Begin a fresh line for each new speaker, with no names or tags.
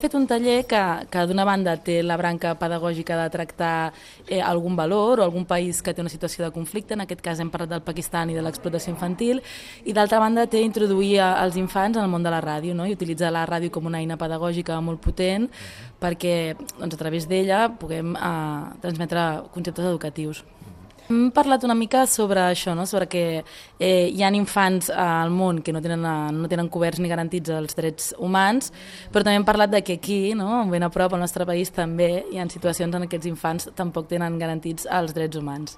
He fet un taller que d'una banda té la branca pedagògica de tractar algun valor o algun país que té una situació de conflicte, en aquest cas hem parlat del Pakistan i de l'explotació infantil, i d'altra banda té introduir els infants en el món de la ràdio, no? I utilitzar la ràdio com una eina pedagògica molt potent perquè doncs, a través d'ella puguem transmetre conceptes educatius. Hem parlat una mica sobre això, no? Sobre que hi ha infants al món que no tenen coberts ni garantits els drets humans, però també hem parlat de que aquí, no? Ben a prop al nostre país, també hi ha situacions en què aquests infants tampoc tenen garantits els drets humans.